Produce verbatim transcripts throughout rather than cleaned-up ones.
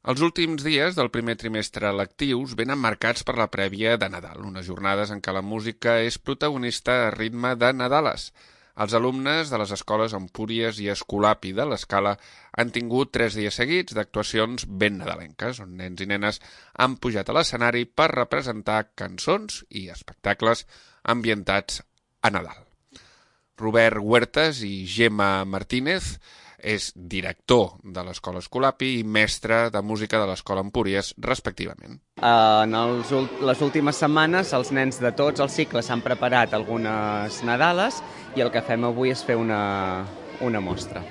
Els últims dies del primer trimestre lectius venen marcats per la prèvia de Nadal, unes jornades en què la música és protagonista a ritme de Nadales. Els alumnes de les escoles Empúries i Escolapi de l'Escala han tingut tres dies seguits d'actuacions ben nadalenques, on nens i nenes han pujat a l'escenari per representar cançons i espectacles ambientats a Nadal. Robert Huertas i Gemma Martínez és director de l'Escola Escolapi i mestre de música de l'Escola Empúries, respectivament. En els, les últimes setmanes els nens de tots els cicles s'han preparat algunes Nadales i el que fem avui és fer una, una mostra.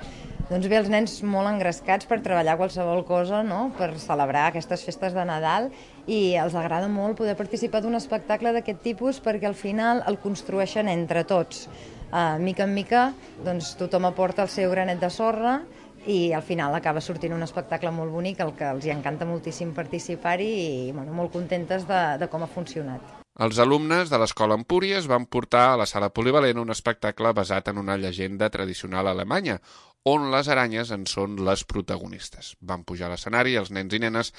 Doncs bé, els nens molt engrescats per treballar qualsevol cosa, no?, per celebrar aquestes festes de Nadal, i els agrada molt poder participar d'un espectacle d'aquest tipus perquè al final el construeixen entre tots. Uh, mica en mica, doncs, tothom aporta el seu granet de sorra i al final acaba sortint un espectacle molt bonic, el que els hi encanta moltíssim participar-hi i bueno, molt contentes de, de com ha funcionat. Els alumnes de l'Escola Empúries van portar a la sala polivalent un espectacle basat en una llegenda tradicional alemanya, on les aranyes en són les protagonistes. Van pujar a l'escenari els nens i nenes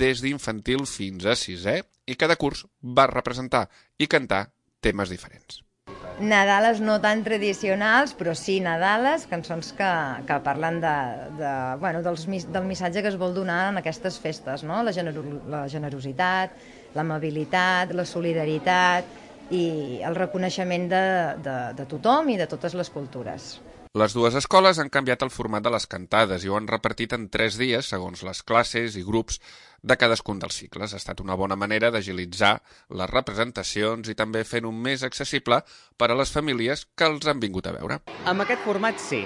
des d'infantil fins a sisè i cada curs va representar i cantar temes diferents. Nadales no tan tradicionals, però sí Nadales, cançons que, que parlen de, de, bueno, dels, del missatge que es vol donar en aquestes festes, no? La, gener la generositat, l'amabilitat, la solidaritat i el reconeixement de, de, de tothom i de totes les cultures. Les dues escoles han canviat el format de les cantades i ho han repartit en tres dies segons les classes i grups de cadascun dels cicles. Ha estat una bona manera d'agilitzar les representacions i també fent-ho més accessible per a les famílies que els han vingut a veure. Amb aquest format sí.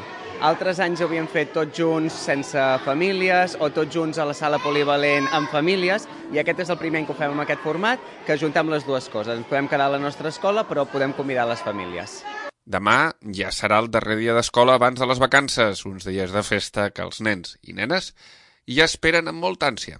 Altres anys ho havíem fet tots junts sense famílies o tots junts a la sala polivalent amb famílies i aquest és el primer any que ho fem amb aquest format, que ajuntem les dues coses. Ens podem quedar a la nostra escola però podem convidar les famílies. Demà ja serà el darrer dia d'escola abans de les vacances, uns dies de festa que els nens i nenes ja esperen amb molta ànsia.